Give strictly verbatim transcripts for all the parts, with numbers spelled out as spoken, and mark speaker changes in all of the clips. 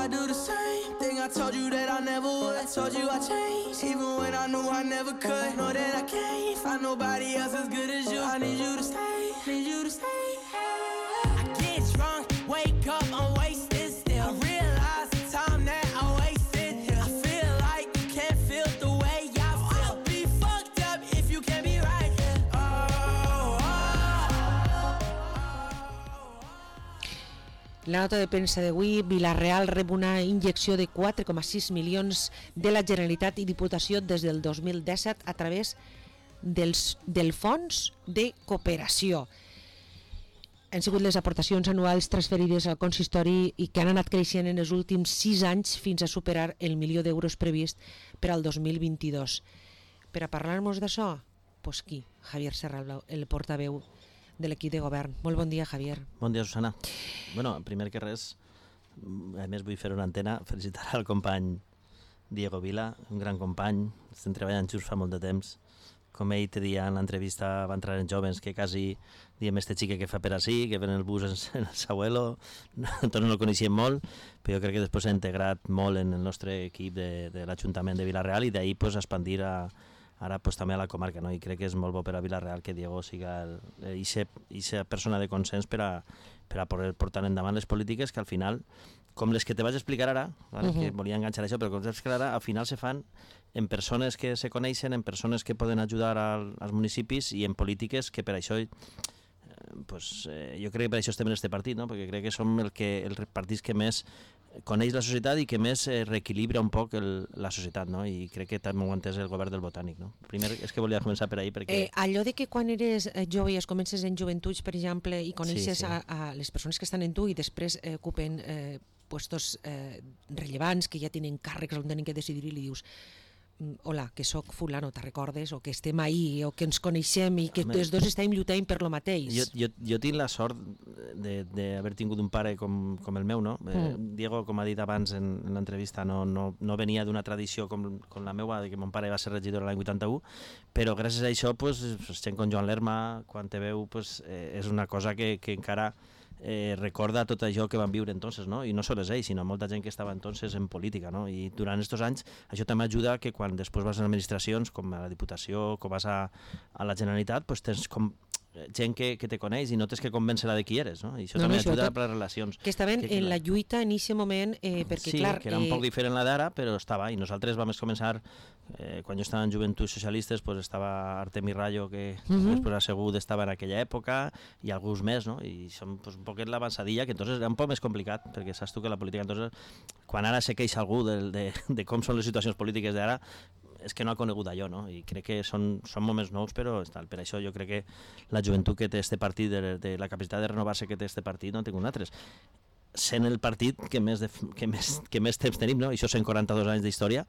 Speaker 1: I do the same thing I told you that I never would. I told you I changed, even when I knew I never could. Know that I can't find nobody else as good as you. I need you to stay, need you to stay. I get drunk, wake up, I'm wasted still. I realize the time that I wasted here. I feel like you can't feel the way I feel. I'll be fucked up if you can't be right here. Oh, oh, oh.
Speaker 2: La nota de premsa d'avui, Vila-real rep una injecció de quatre coma sis milions de la Generalitat i Diputació des del dos mil disset a través dels, del Fons de Cooperació. Han sigut les aportacions anuals transferides al consistori i que han anat creixent en els últims sis anys fins a superar el milió d'euros previst per al dos mil vint-i-dos. Per a parlar-nos d'això, pues qui? Javier Serralblau, el portaveu de l'equip de govern. Molt bon dia, Javier.
Speaker 3: Bon dia, Susana. Bueno, primer que res, a més vull fer una antena, felicitar al company Diego Vila, un gran company, estem treballant junts fa molt de temps. Com ell te dia en l'entrevista va entrar en Jóvens, que quasi diem este xique que fa per ací, que ven el bus en el seu abuelo, nosaltres no el coneixíem molt, però jo crec que després s'ha integrat molt en el nostre equip de, de l'Ajuntament de Vila-real i d'ahir pues, expandir a, ara pues, també a la comarca, no? I crec que és molt bo per a Vila-real que Diego siga aquesta persona de consens per a, per a poder portar endavant les polítiques que al final, com les que te vaig explicar ara, vale? Uh-huh. Que volia enganxar això, però com vaig explicar ara, al final se fan en persones que se coneixen, en persones que poden ajudar al, als municipis i en polítiques que per això, eh, pues, eh, jo crec que per això estem en este partit, no? Perquè crec que som el que, els partits que més coneix la societat i que més eh, reequilibra un poc el, la societat, no? I crec que també ho ha entès el govern del Botànic, no? Primer és que volia començar per ahí perquè...
Speaker 2: Eh, allò de que quan eres jove i es comences en joventuts, per exemple, i coneixes
Speaker 3: sí, sí.
Speaker 2: A, a les persones que estan en tu i després eh, ocupen eh, puestos eh, rellevants, que ja tenen càrrecs on tenen que decidir i li dius hola, que sóc fulano, te recordes? O que estem ahí, o que ens coneixem i que els dos estem lluitant per lo mateix.
Speaker 3: Jo, jo, jo tinc la sort d'haver tingut un pare com, com el meu, no? Mm. Eh, Diego, com ha dit abans en, en l'entrevista, no, no, no venia d'una tradició com, com la meva, de que mon pare va ser regidor l'any vuitanta-u, però gràcies a això, pues, gent com Joan Lerma, quan te veu, pues, eh, és una cosa que, que encara eh, recorda tot això que van viure entonces, no? I no sols ells, sinó molta gent que estava entonces en política, no? I durant aquests anys això també ajuda que quan després vas a administracions com a la Diputació, com vas a, a la Generalitat, pues tens com gent que, que te coneix i no tens que convèncer-la de qui eres, no? I això no, també no, ajuda per les relacions.
Speaker 2: Que estaven que, en la lluita en aquest moment, eh, perquè
Speaker 3: sí,
Speaker 2: clar...
Speaker 3: Sí, que era un
Speaker 2: eh...
Speaker 3: poc diferent la d'ara, però estava, i nosaltres vam començar, eh, quan jo estava en Joventuts Socialistes, pues estava Artemi Rayo, que uh-huh. després assegut estava en aquella època, i alguns més, no? I som pues, un poquet l'avançadilla, que entonces era un poc més complicat, perquè saps tu que la política, entonces, quan ara se queixa algú de, de, de com són les situacions polítiques d'ara, és que no ha conegut allò, no? I crec que són, són moments nous, però tal, per això jo crec que la joventut que té este partit, de, de la capacitat de renovar-se que té este partit, no en tinc un altre. Sent el partit que més, de, que més, que més temps tenim, no? Això cent quaranta-dos anys d'història,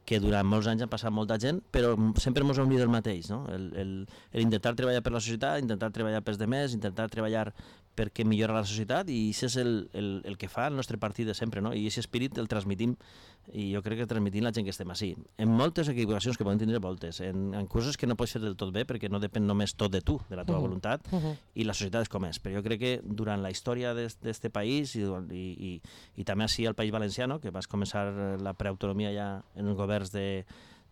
Speaker 3: que durant molts anys han passat molta gent, però sempre ens hem dit el mateix, no? El, el, el intentar treballar per la societat, intentar treballar pels demés, intentar treballar perquè millora la societat, i això és el, el, el que fa el nostre partit de sempre, no? I aquest espírit el transmitim, i jo crec que transmitim la gent que estem així. En moltes equivocacions que poden tindre voltes, en, en coses que no pots fer del tot bé, perquè no depèn només tot de tu, de la teva uh-huh. voluntat, uh-huh. i la societat és com és. Però jo crec que durant la història d'aquest país, i, i, i, i també així al País Valencià, no? Que vas començar la preautonomia ja en els governs de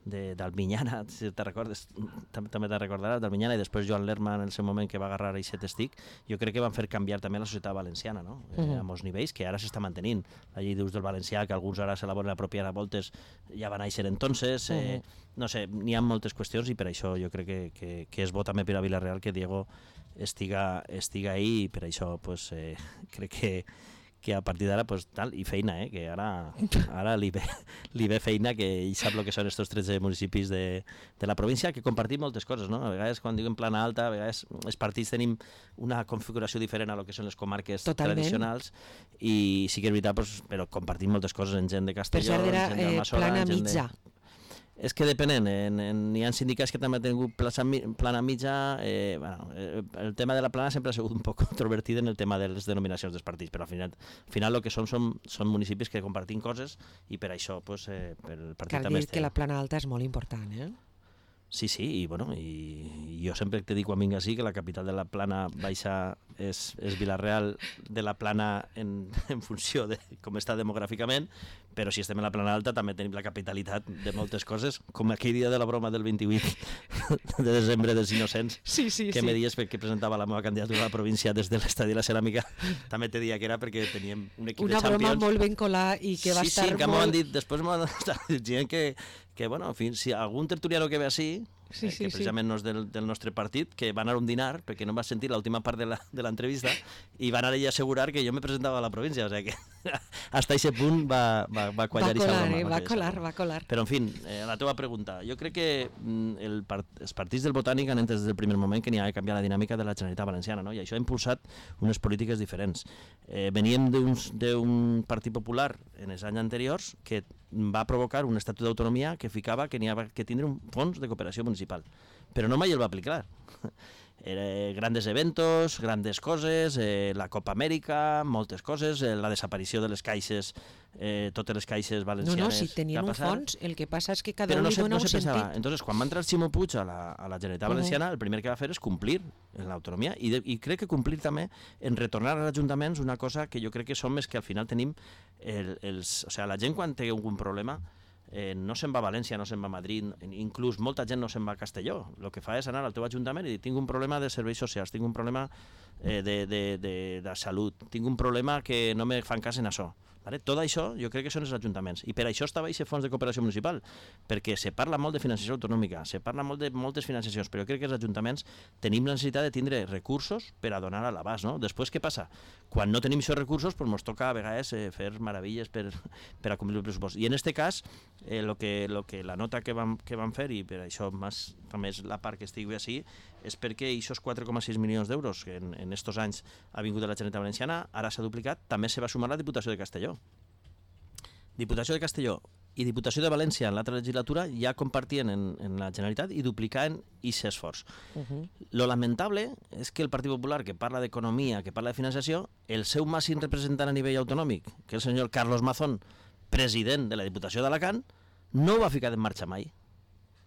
Speaker 3: d'Albinyana, si te recordes, també te'n recordaràs, d'Albinyana, i després Joan Lerma en el seu moment que va agarrar aquest estic, jo crec que van fer canviar també la societat valenciana, no? Eh, uh-huh. a molts nivells, que ara s'està mantenint. La llei d'ús del valencià, que alguns ara se la volen apropiar a voltes, ja va néixer entonces, eh, uh-huh. no sé, n'hi ha moltes qüestions, i per això jo crec que, que, que és bo també per a Vila-real que Diego estiga, estiga ahí, i per això pues, eh, crec que que a partir d'ara, pues, tal, i feina, eh, que ara, ara li, ve, li ve feina, que ell sap el que són estos tretze municipis de, de la província, que compartim moltes coses, no? A vegades, quan diuen plana alta, a vegades els partits tenim una configuració diferent a lo que són les comarques Totalment. Tradicionals, i sí que és veritat, pues, però compartim moltes coses en gent de Castelló,
Speaker 2: per cert,
Speaker 3: gent d'Almassora,
Speaker 2: plana
Speaker 3: gent
Speaker 2: mitja.
Speaker 3: De... És que depenent, en, en, hi ha sindicats que també han tingut plaça, plana mitja, eh, bueno, el tema de la plana sempre ha sigut un poc controvertit en el tema de les denominacions dels partits, però al final, al final el que són, són són municipis que compartim coses, i per això pues, eh, per el partit
Speaker 2: Cal
Speaker 3: també
Speaker 2: dir
Speaker 3: té...
Speaker 2: que la plana alta és molt important, eh?
Speaker 3: Sí, sí, i, bueno, i, i jo sempre te dic quan vinc així que la capital de la Plana Baixa és, és Vila-real de la Plana en, en funció de com està demogràficament, però si estem en la Plana Alta també tenim la capitalitat de moltes coses, com aquell dia de la broma del vint-i-vuit de desembre dels Innocents,
Speaker 2: sí, sí,
Speaker 3: que
Speaker 2: sí.
Speaker 3: me dies que presentava la meva candidatura a la província des de l'estadi de la Ceràmica, també te dia que era perquè teníem un equip
Speaker 2: Una
Speaker 3: de Champions.
Speaker 2: broma molt ben colada i que va
Speaker 3: sí,
Speaker 2: estar
Speaker 3: sí, que
Speaker 2: molt...
Speaker 3: m'ho han dit, després m'ho han dit que, que, bueno, en fi, si algun tertuliano que ve així,
Speaker 2: sí, sí,
Speaker 3: que precisament
Speaker 2: sí.
Speaker 3: no és del, del nostre partit, que va anar a un dinar, perquè no va sentir l'última part de l'entrevista, i va anar ell a assegurar que jo me presentava a la província, o sigui que hasta aquest punt va, va, va quallar
Speaker 2: va colar,
Speaker 3: broma,
Speaker 2: eh? va colar,
Speaker 3: broma.
Speaker 2: va colar.
Speaker 3: Però, en fi, eh, a la teva pregunta, jo crec que el part, els partits del Botànic han entès des del primer moment que n'hi ha de canviar la dinàmica de la Generalitat Valenciana, no? I això ha impulsat unes polítiques diferents. Eh, veníem d'un partit popular en els anys anteriors que va provocar un estatut d'autonomia que ficava que n'hi havia que tindre un fons de cooperació municipal, però no mai el va aplicar. Eh, grandes eventos, grandes coses, eh, la Copa Amèrica, moltes coses, eh, la desaparició de les caixes, eh, totes les caixes valencianes.
Speaker 2: No, no, si tenien un fons, el que passa és que cada
Speaker 3: però
Speaker 2: un
Speaker 3: no
Speaker 2: li
Speaker 3: se,
Speaker 2: dona
Speaker 3: no
Speaker 2: un
Speaker 3: se pensava.
Speaker 2: sentit.
Speaker 3: Entonces, quan va entrar Ximo Puig a la, a la Generalitat Valenciana, uh -huh. el primer que va fer és complir en l'autonomia i, de, i crec que complir també en retornar als ajuntaments una cosa que jo crec que som és que al final tenim el, els, o sigui, la gent quan té algun problema Eh, no se'n va a València, no se'n va a Madrid, inclús molta gent no se'n va a Castelló. El que fa és anar al teu ajuntament i dir tinc un problema de serveis socials, tinc un problema eh, de, de, de, de salut, tinc un problema que no me fan cas en això. Vale? Tot això jo crec que són els ajuntaments i per això estava aquest fons de cooperació municipal, perquè se parla molt de financiació autonòmica, se parla molt de moltes financiacions, però jo crec que els ajuntaments tenim la necessitat de tindre recursos per a donar a l'abast, no? Després què passa? Quan no tenim aquests recursos doncs ens toca a vegades eh, fer meravelles per, per a complir el pressupost. I en aquest cas eh, lo que, lo que la nota que vam, que vam fer, i per això més, també és la part que estigui així, és perquè aquests quatre coma sis milions d'euros que en, en estos anys ha vingut de la Generalitat Valenciana, ara s'ha duplicat, també se va sumar la Diputació de Castelló. Diputació de Castelló i Diputació de València en l'altra legislatura ja compartien en, en la Generalitat i duplicaven aquest esforç. Uh -huh. Lo lamentable és que el Partit Popular, que parla d'economia, que parla de financiació, el seu màxim representant a nivell autonòmic, que és el senyor Carlos Mazón, president de la Diputació d'Alacant, no ho va ficar en marxa mai.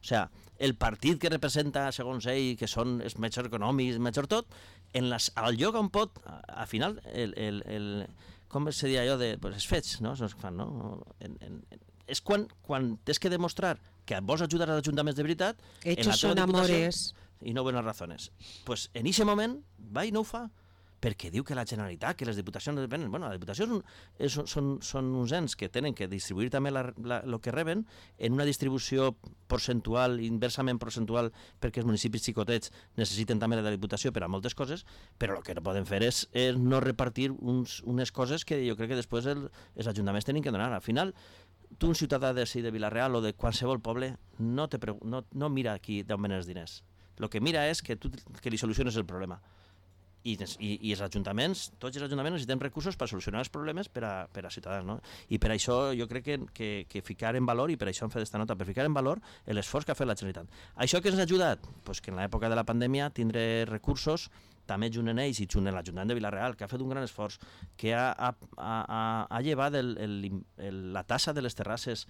Speaker 3: O sigui, el partit que representa, segons ell, que són els majors econòmics, major tot, en les, al lloc on pot, al final, el, el, el, com se diria allò, de, pues, els fets, no? Són els que fan, no? En, en, és quan, quan tens que demostrar que vols ajudar als ajuntaments de veritat,
Speaker 2: Hechos
Speaker 3: en la teva
Speaker 2: son
Speaker 3: diputació,
Speaker 2: amores.
Speaker 3: I no buenas razones. Pues en aquest moment va i no ho fa, perquè diu que la Generalitat, que les diputacions no depenen. Bueno, les diputacions és, són, són uns ens que tenen que distribuir també el que reben en una distribució percentual, inversament percentual, perquè els municipis xicotets necessiten també la diputació per a moltes coses, però el que no poden fer és, és no repartir uns, unes coses que jo crec que després el, els ajuntaments tenen que donar. Al final, tu, un ciutadà de, de Vila-real o de qualsevol poble, no, te, no, no mira aquí d'on venen els diners. El que mira és que tu que li soluciones el problema. I, i, i els ajuntaments, tots els ajuntaments necessitem recursos per solucionar els problemes per a, per a ciutadans, no? I per això jo crec que, que, que ficar en valor, i per això hem fet aquesta nota, per ficar en valor l'esforç que ha fet la Generalitat. Això que ens ha ajudat? Pues que en l'època de la pandèmia tindre recursos, també junt en ells i junt en l'Ajuntament de Vila-real, que ha fet un gran esforç, que ha, ha, ha, ha llevat el, el, el, la tassa de les terrasses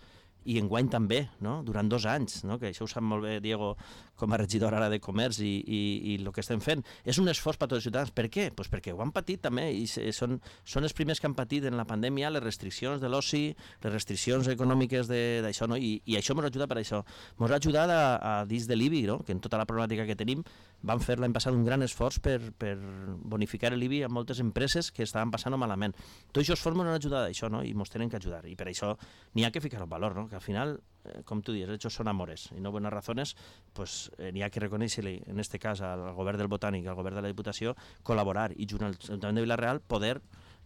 Speaker 3: i enguany també, no? Durant dos anys, no? Que això ho sap molt bé Diego com a regidor ara de Comerç i, i, i el que estem fent. És un esforç per a tots els ciutadans. Per què? Pues perquè ho han patit també i són, són els primers que han patit en la pandèmia les restriccions de l'oci, les restriccions econòmiques d'això, no? I, i això ens ajuda per això. Ens ha ajudat a, a dins de l'I B I, no? Que en tota la problemàtica que tenim van fer l'any passat un gran esforç per, per bonificar l'I B I a moltes empreses que estaven passant malament. Tots aquests esforços ens han ajudat a això, no? I ens tenen que ajudar. I per això n'hi ha que ficar en valor, no? Que al final, eh, com tu dius, hechos son amores y no buenas razones, pues eh, n'hi ha que reconèixer-li, en este cas, al govern del Botànic, al govern de la Diputació, col·laborar i junt al Ajuntament de Vila-real poder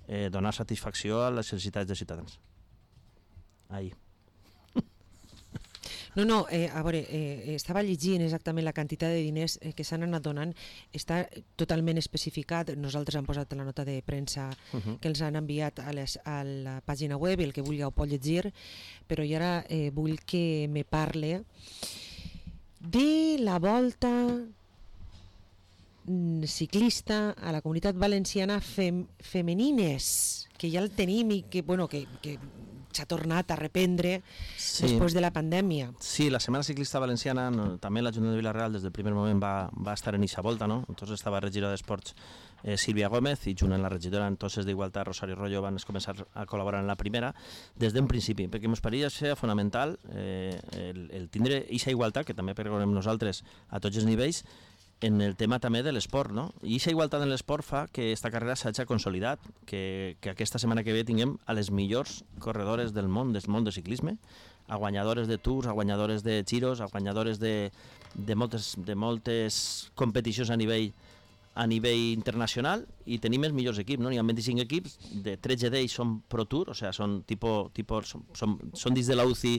Speaker 3: eh, donar satisfacció a les necessitats dels ciutadans. Ahí.
Speaker 2: No, no, eh, a veure, eh, estava llegint exactament la quantitat de diners eh, que s'han anat donant, està totalment especificat, nosaltres hem posat la nota de premsa uh -huh. que els han enviat a, les, a la pàgina web, el que vulgui ho pot llegir, però jo ara eh, vull que me parle de la volta mm, ciclista a la Comunitat Valenciana fem, femenines, que ja el tenim i que, bueno, que, que s'ha tornat a reprendre sí. després de la pandèmia.
Speaker 3: Sí, la Setmana Ciclista Valenciana, no, també l'Ajuntament de Vila-real des del primer moment va, va estar en eixa volta, no? Entonces estava regidora d'Esports eh, Sílvia Gómez i junt amb la regidora entonces d'Igualtat Rosario Rollo van començar a col·laborar en la primera des d'un principi, perquè ens pareixia ser fonamental eh, el, el tindre eixa igualtat, que també pergonem nosaltres a tots els nivells, en el tema també de l'esport, no? I aquesta igualtat en l'esport fa que aquesta carrera s'hagi consolidat, que, que aquesta setmana que ve tinguem a les millors corredores del món, del món de ciclisme, a guanyadores de Tours, a guanyadores de Giros, a guanyadores de, de, moltes, de moltes competicions a nivell a nivell internacional, i tenim els millors equips, no? N'hi ha vint-i-cinc equips, de tretze d'ells són Pro Tour, o sigui, són, tipo, tipo, són, són, són dins de la U C I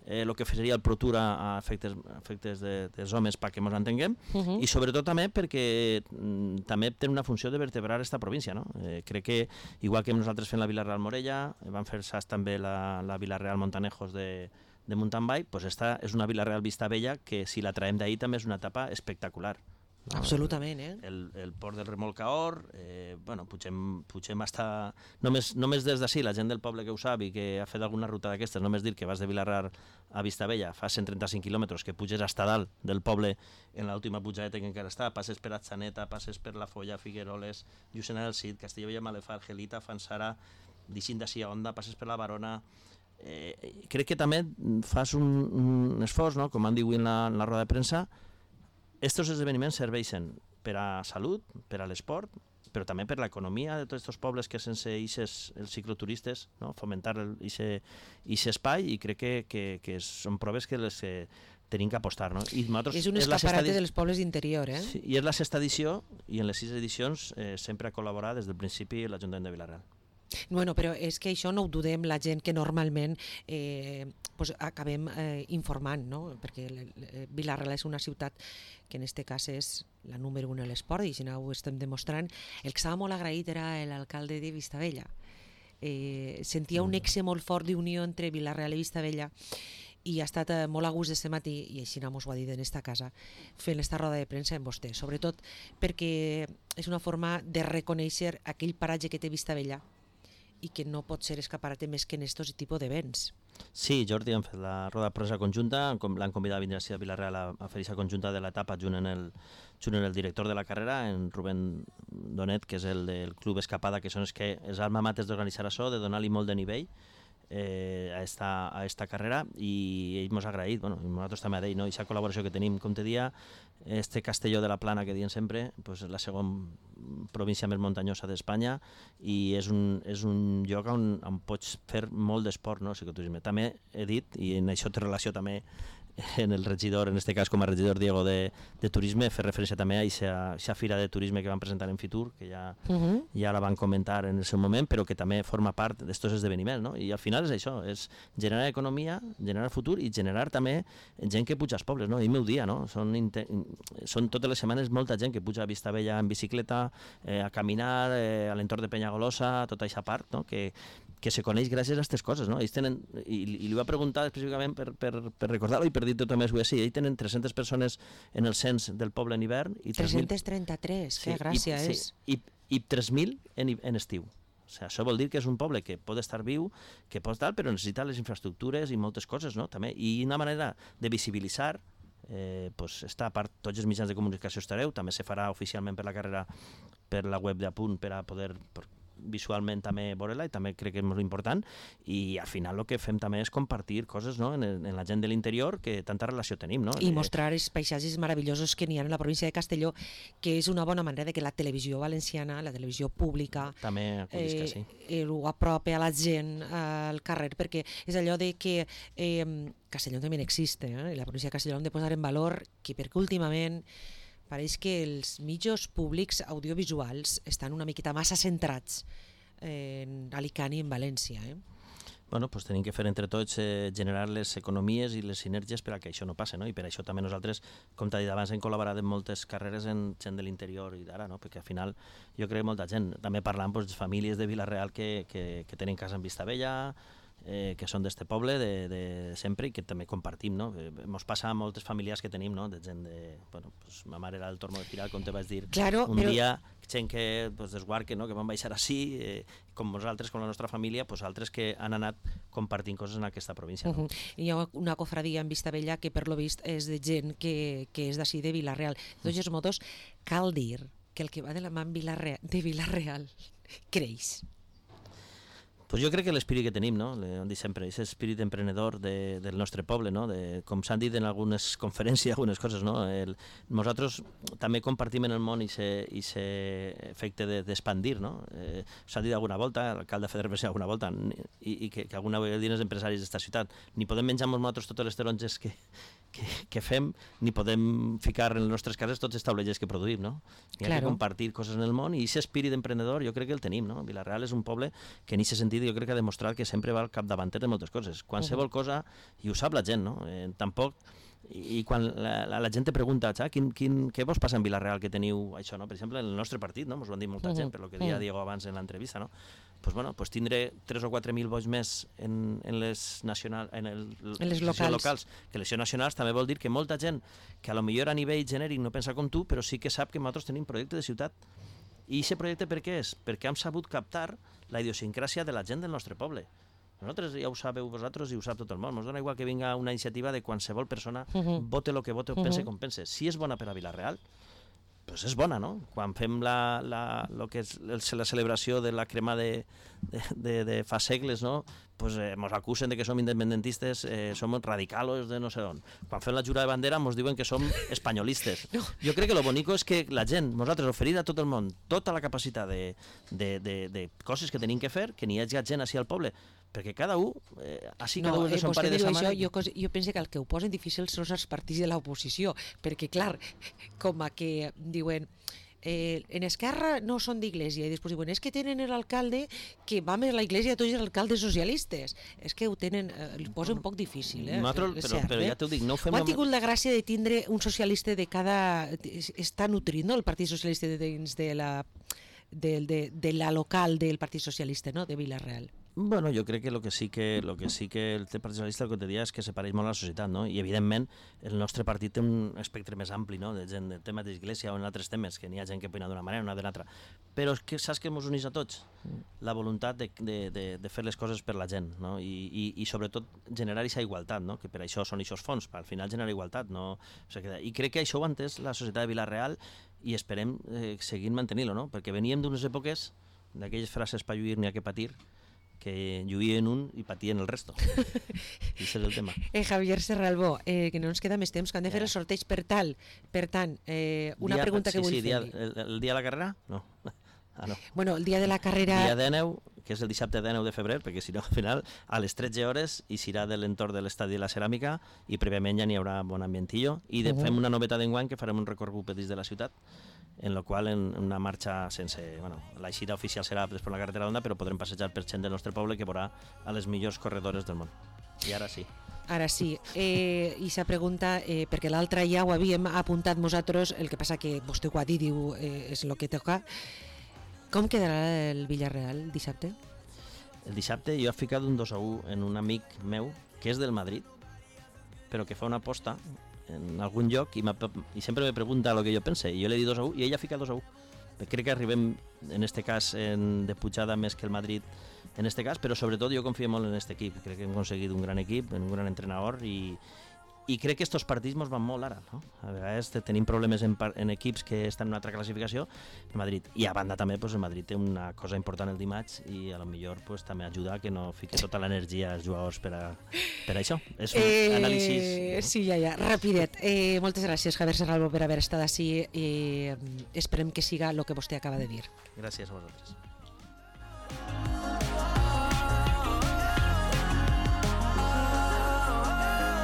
Speaker 3: eh, el que seria el Pro Tour a, a efectes, a efectes de, dels homes perquè ens entenguem, uh -huh. i sobretot també perquè mm, també té una funció de vertebrar esta província, no? Eh, crec que igual que nosaltres fem la Vila-real Morella, vam fer saps també la, la Vila-real Montanejos de, de mountain bike, pues esta és una Vila-real Vistabella que si la traiem d'ahir també és una etapa espectacular.
Speaker 2: No? Absolutament, eh?
Speaker 3: El, el port del Remolcaor, eh, bueno, pugem, pugem hasta... Només, només des d'ací, la gent del poble que ho sap i que ha fet alguna ruta d'aquestes, només dir que vas de Vila-real a Vistabella, fa cent trenta-cinc quilòmetres, que puges hasta dalt del poble en l'última pujadeta que encara està, passes per Atxaneta, passes per La Folla, Figueroles, Llucena del Cid, Castellbell, Malefar, Gelita, Fanzara, d'Ixint d'ací a Onda, passes per la Barona... Eh, crec que també fas un, un esforç, no? Com han dit en la, en la roda de premsa. Estos esdeveniments serveixen per a salut, per a l'esport, però també per l'economia de tots aquests pobles que sense ixes, els cicloturistes, no? Fomentar aquest espai, i crec que, que, que són proves que les eh, tenim que apostar. No? I
Speaker 2: és un escaparate dels pobles d'interior. Eh?
Speaker 3: Sí, i és la sexta edició, i en les sis edicions eh, sempre ha col·laborat des del principi l'Ajuntament de Vila-real.
Speaker 2: Bueno, però és que això no ho dudem la gent que normalment eh, pues acabem eh, informant, no? Perquè Vila-real és una ciutat que en aquest cas és la número un a l'esport, i si no ho estem demostrant. El que estava molt agraït era l'alcalde de Vistabella. Eh, sentia un nexe molt fort d'unió entre Vila-real i Vistabella, i ha estat eh, molt a gust aquest matí, i així no mos ho ha dit en esta casa, fent esta roda de premsa en vostè, sobretot perquè és una forma de reconèixer aquell paratge que té Vistabella i que no pot ser escaparate més que en aquests tipus d'events.
Speaker 3: Sí, Jordi, hem fet la roda de premsa conjunta, l'han convidat a venir a Vila-real a, a fer aquesta conjunta de l'etapa junt en el, junt en el director de la carrera, en Rubén Donet, que és el del Club Escapada, que són els que els alma mater d'organitzar això, de donar-li molt de nivell eh, a, esta, a esta carrera, i ell mos ha agraït, bueno, i nosaltres també a ell, no? I aquesta col·laboració que tenim, com te dia, este Castelló de la Plana que diem sempre, pues és la segona província més muntanyosa d'Espanya, i és un, és un lloc on, on pots fer molt d'esport, no? Cicloturisme. També he dit, i en això té relació també en el regidor, en este cas com a regidor Diego de, de Turisme, fer referència també a aquesta fira de turisme que van presentar en Fitur, que ja, uh -huh. ja la van comentar en el seu moment, però que també forma part d'estos esdeveniments, no? I al final és això, és generar economia, generar futur i generar també gent que puja als pobles, no? I meu dia, no? Són, són totes les setmanes molta gent que puja a Vistabella en bicicleta, eh, a caminar, eh, a l'entorn de Penyagolosa, tota aquesta part, no? Que, que se coneix gràcies a aquestes coses, no? Ells tenen, i, i li va preguntar específicament per, per, per recordar-ho i per dir tot més, sí, ells tenen tres-centes persones en el cens del poble en hivern i
Speaker 2: tres-cents trenta-tres, sí, que gràcia
Speaker 3: i,
Speaker 2: és.
Speaker 3: Sí, i, i tres mil en, en estiu. O sigui, això vol dir que és un poble que pot estar viu, que pot estar, però necessita les infraestructures i moltes coses, no? També. I una manera de visibilitzar eh, pues, està a part, tots els mitjans de comunicació estareu, també se farà oficialment per la carrera, per la web d'Apunt, per a poder... Per, visualment també veure-la, i també crec que és molt important, i al final el que fem també és compartir coses, no? en, en la gent de l'interior que tanta relació tenim. No?
Speaker 2: I mostrar els paisatges meravellosos que n'hi ha en la província de Castelló, que és una bona manera de que la televisió valenciana, la televisió pública,
Speaker 3: també eh, sí.
Speaker 2: eh, ho apropi a la gent al carrer, perquè és allò de que eh, Castelló també existe, eh? la província de Castelló hem de posar en valor que perquè últimament pareix que els mitjans públics audiovisuals estan una miqueta massa centrats en Alicant i en València. Eh?
Speaker 3: Bueno, pues tenim que fer entre tots eh, generar les economies i les sinergies per a que això no passi, no? I per això també nosaltres, com t'ha dit abans, hem col·laborat en moltes carreres en gent de l'interior i d'ara, no? Perquè al final jo crec que molta gent, també parlant pues, de famílies de Vila-real que, que, que tenen casa en Vistabella, eh, que són d'este poble de, de sempre i que també compartim, no? Ens passa a moltes famílies que tenim, no? De gent de... Bueno, pues, ma mare era del Tormo de Firal, com te vaig dir,
Speaker 2: claro,
Speaker 3: un
Speaker 2: però...
Speaker 3: dia, gent que pues, d'Esguarque, no? Que van baixar així, eh, com nosaltres, com la nostra família, pues, altres que han anat compartint coses en aquesta província. No?
Speaker 2: Uh -huh. Hi ha una cofradia en Vistabella que per lo vist és de gent que, que és d'ací de Vila-real. De tots modos, cal dir que el que va de la mà de Vila-real creix.
Speaker 3: Pues jo crec que l'espírit que tenim, no? Ho dic sempre, és espírit emprenedor de, del nostre poble, no? De, com s'han dit en algunes conferències, algunes coses, no? El, nosaltres també compartim en el món aquest efecte d'expandir, no? Eh, s'ha dit alguna volta, l'alcalde Feder Bessé alguna volta, i, i que, que alguna vegada diuen els empresaris d'esta ciutat, ni podem menjar-nos nosaltres totes les taronges que, que, que fem, ni podem ficar en les nostres cases tots els taulellers que produïm, no? Hi ha claro. que compartir coses en el món, i aquest espírit emprenedor jo crec que el tenim, no? Vila-real és un poble que en aquest sentit jo crec que ha demostrat que sempre va al capdavanter de moltes coses. Qualsevol uh -huh. cosa, i ho sap la gent, no? Eh, tampoc, i, i quan la, la, la gent te pregunta, quin, quin, què vos passa en Vila-real que teniu això, no? Per exemple, en el nostre partit, no? Ens ho han dit molta uh -huh. gent, per lo que deia uh -huh. Diego abans en l'entrevista, no? Pues bueno, pues tindré tres o quatre mil vots més en, en les nacional, en, el,
Speaker 2: en les locals.
Speaker 3: locals que les nacionals, també vol dir que molta gent que a lo millor a nivell genèric no pensa com tu, però sí que sap que nosaltres tenim projecte de ciutat. I aquest projecte per què és? Perquè hem sabut captar la idiosincràsia de la gent del nostre poble. Nosaltres ja ho sabeu vosaltres i ho sap tot el món. Ens dona igual que vinga una iniciativa de qualsevol persona, uh -huh. vote el que vote o pense uh -huh. com pense. Si és bona per a Vila-real, pues és bona, no? Quan fem la, la, lo que és la celebració de la crema de, de, de, de fa segles, no? Pues eh, mos acusen de que som independentistes, eh, som radicalos de no sé on. Quan fem la jura de bandera mos diuen que som espanyolistes. No. Jo crec que lo bonico és que la gent, nosaltres, oferir a tot el món tota la capacitat de, de, de, de coses que tenim que fer, que n'hi hagi gent així al poble, perquè cada un, eh, així cada
Speaker 2: no,
Speaker 3: un és de son
Speaker 2: eh,
Speaker 3: pare de sa mare.
Speaker 2: Jo, jo penso que el que ho posen difícil són els partits de l'oposició, perquè, clar, com a que diuen... Eh, en Esquerra no són d'Iglésia, i després diuen, és que tenen l'alcalde que va més a l'Iglésia de tots els alcaldes socialistes. És que ho tenen, eh, li posa un poc difícil, eh?
Speaker 3: Nosaltres, però, cert, però ja t'ho dic, no ho fem...
Speaker 2: Ho han tingut la gràcia de tindre un socialista de cada... Està nutrit, no?, el Partit Socialista de dins de la, de, de, de la local del Partit Socialista, no?, de Vila-real.
Speaker 3: Bueno, jo crec que el que sí que, lo que, sí que el Partit Socialista el que te dia és que se pareix molt a la societat, no? I evidentment el nostre partit té un espectre més ampli, no? De gent de temes d'església o en altres temes, que n'hi ha gent que opina d'una manera o d'una altra. Però és que saps que ens uneix a tots? La voluntat de, de, de, de fer les coses per la gent, no? I, i, i sobretot generar aquesta igualtat, no? Que per això són aquests fons, per al final generar igualtat, no? O sigui, i crec que això ho ha entès la societat de Vila-real i esperem eh, seguir mantenint-lo, no? Perquè veníem d'unes èpoques d'aquelles frases per lluir n'hi ha que patir, que lluïen un i patien el resto. I és el tema.
Speaker 2: Eh, Javier Serralbó, eh, que no ens queda més temps, que han de fer el sorteig per tal. Per tant, eh, una dia, pregunta que
Speaker 3: sí,
Speaker 2: vull
Speaker 3: sí,
Speaker 2: fer-li.
Speaker 3: El, el dia de la carrera? No. Ah, no.
Speaker 2: Bueno, el dia de la carrera...
Speaker 3: Dia dènou, que és el dissabte dènou de febrer, perquè si no, al final, a les tretze hores, i serà de l'entorn de l'estadi de la Ceràmica, i prèviament ja n'hi haurà bon ambientillo, i de, uh -huh. fem una novetat d'enguany, que farem un recorregut per dins de la ciutat, en la qual en una marxa sense... Bueno, la eixida oficial serà per la carretera d'Onda, però podrem passejar per gent del nostre poble que veurà a les millors corredores del món. I ara sí.
Speaker 2: Ara sí. Eh, I sa pregunta, eh, perquè l'altra ja ho havíem apuntat nosaltres, el que passa que vostè ho ha dit, diu, eh, és el que toca. Com quedarà el Villarreal dissabte?
Speaker 3: El dissabte jo he ficat un dos a u en un amic meu que és del Madrid, però que fa una aposta en algun lloc i, i sempre me pregunta el que jo pense, i jo li he dit dos a u i ella fica dos a u. Crec que arribem, en este cas, en, de pujada més que el Madrid, en este cas, però sobretot jo confio molt en aquest equip. Crec que hem aconseguit un gran equip, un gran entrenador, i, i crec que estos partits mos van molt ara, no? A vegades tenim problemes en, en equips que estan en una altra classificació, el Madrid, i a banda també pues, el Madrid té una cosa important el dimarts i a lo millor pues, també ajuda a que no fique tota l'energia als jugadors per a, per a això. És un eh, anàlisi...
Speaker 2: No? Sí, ja, ja, rapidet. Eh, moltes gràcies, Javier Serralvo, per haver estat així i eh, esperem que siga el que vostè acaba de dir.
Speaker 3: Gràcies a vosaltres.